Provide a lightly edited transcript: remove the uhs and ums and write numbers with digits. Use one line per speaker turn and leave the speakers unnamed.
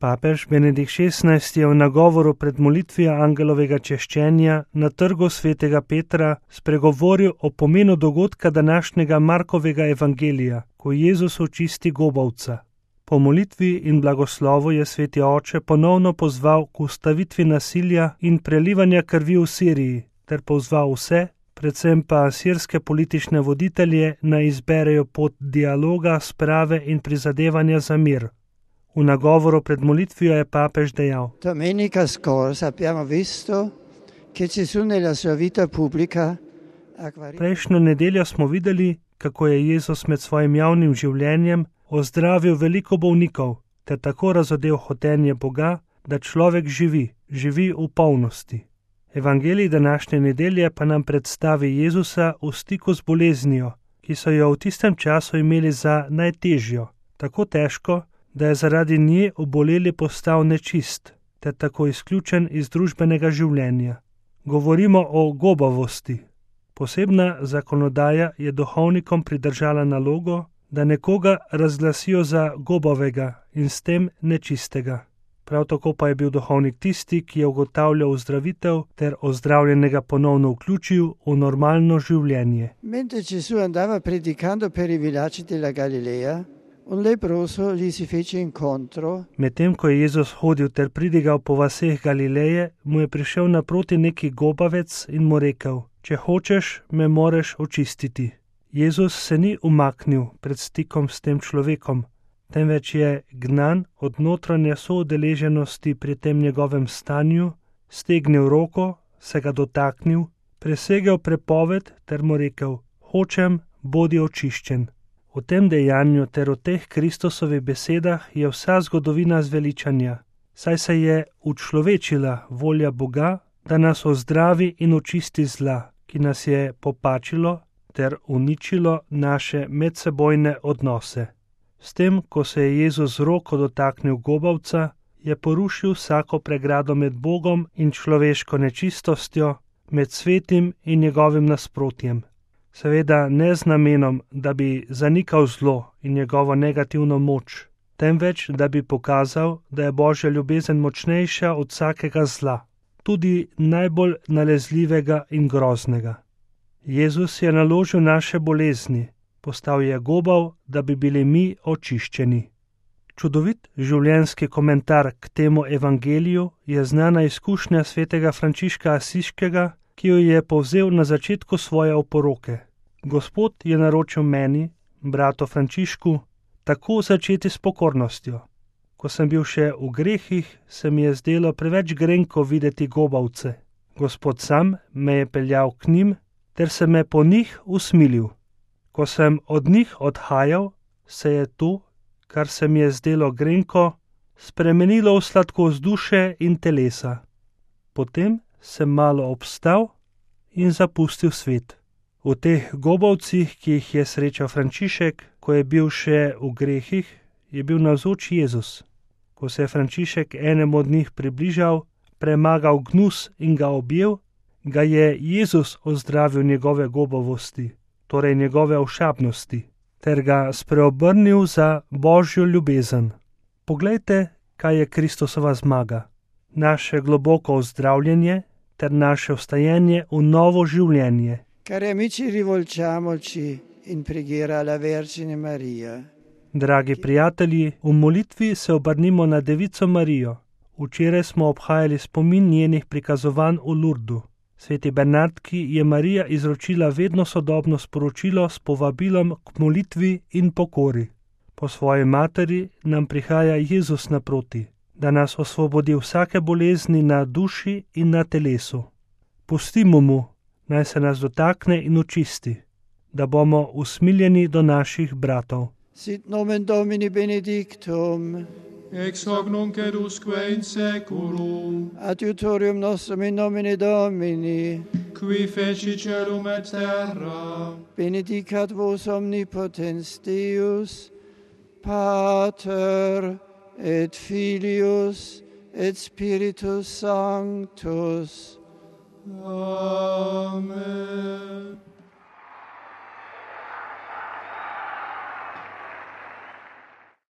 Papež Benedikt XVI je v nagovoru pred molitvijo angelovega češčenja na trgu svetega Petra spregovoril o pomenu dogodka današnjega Markovega evangelija, ko Jezus očisti gobavca. Po molitvi in blagoslovu je sveti oče ponovno pozval k ustavitvi nasilja in prelivanja krvi v Siriji, ter pozval vse, predvsem pa sirske politične voditelje, naj izberejo pot dialoga, sprave in prizadevanja za mir. V nagovoru pred molitvijo je papež dejal:
Domenica scorsa abbiamo visto che Gesù nella sua vita pubblica
Prejšnjo nedeljo smo videli, kako je Jezus med svojim javnim življenjem ozdravil veliko bolnikov ter tako razodel hotenje Boga, da človek živi v polnosti. Evangelij današnje nedelje pa nam predstavi Jezusa v stiku z boleznijo, ki so jo v tistem času imeli za najtežjo, tako težko, da je zaradi nje oboleli postal nečist, ter tako izključen iz družbenega življenja. Govorimo o gobavosti. Posebna zakonodaja je duhovnikom pridržala nalogo, da nekoga razglasijo za gobavega in s tem nečistega. Prav tako pa je bil duhovnik tisti, ki je ugotavljal ozdravitev ter ozdravljenega ponovno vključil v normalno življenje.
Mentre Gesù andava predicando per i villaggi della Galilea, un leproso gli si fece incontro.
Medtem ko je Jezus hodil ter pridigal po vaseh Galileje, mu je prišel naproti neki gobavec in mu rekel: Če hočeš, me moreš očistiti. Jezus se ni umaknil pred stikom s tem človekom, temveč je gnan od notranje soudeleženosti pri tem njegovem stanju, stegnil roko, se ga dotaknil, presegel prepoved ter mu rekel: Hočem, bodi očiščen. V tem dejanju ter v teh Kristusovih besedah je vsa zgodovina zveličanja, saj se je učlovečila volja Boga, da nas ozdravi in očisti zla, ki nas je popačilo ter uničilo naše medsebojne odnose. S tem, ko se je Jezus z roko dotaknil gobavca, je porušil vsako pregrado med Bogom in človeško nečistostjo, med svetim in njegovim nasprotjem. Seveda ne z namenom, da bi zanikal zlo in njegovo negativno moč, temveč da bi pokazal, da je Božja ljubezen močnejša od vsakega zla, tudi najbolj nalezljivega in groznega. Jezus je naložil naše bolezni, postal je gobav, da bi bili mi očiščeni. Čudovit življenjski komentar k temu evangeliju je znana izkušnja svetega Frančiška Asiškega, ki jo je povzel na začetku svoje oporoke. Gospod je naročil meni, bratu Frančišku, tako začeti s pokornostjo. Ko sem bil še v grehih, se mi je zdelo preveč grenko videti gobavce. Gospod sam me je peljal k njim, ter se me po njih usmilil. Ko sem od njih odhajal, se je to, kar se mi je zdelo grenko, spremenilo v sladkost duše in telesa. Potem sem malo obstal in zapustil svet. V teh gobavcih, ki jih je srečal Frančišek, ko je bil še v grehih, je bil navzoč Jezus. Ko se je Frančišek enemu od njih približal, premagal gnus in ga objel, ga je Jezus ozdravil njegove gobavosti, torej njegove ošabnosti, ter ga spreobrnil za Božjo ljubezen. Poglejte, kaj je Kristusova zmaga. Naše globoko ozdravljenje ter naše vstajenje v novo življenje.
Cari amici, rivolgiamoci in preghiera alla Vergine Maria.
Dragi prijatelji, v molitvi se obrnimo na Devico Marijo. Včeraj smo obhajali spomin njenih prikazovanj v Lurdu. Sveti Bernardki je Marija izročila vedno sodobno sporočilo s povabilom k molitvi in pokori. Po svoji materi nam prihaja Jezus naproti, da nas osvobodi vsake bolezni na duši in na telesu. Pustimo mu, naj se nas dotakne in očisti, da bomo usmiljeni do naših bratov.
Sit nomen Domini benedictum,
ex hoc nunc et usque in seculum,
adiutorium nostrum in nomine Domini,
qui feci celum et terra,
benedicat vos omnipotens Deus, Pater et Filius et Spiritus Sanctus.
Amen.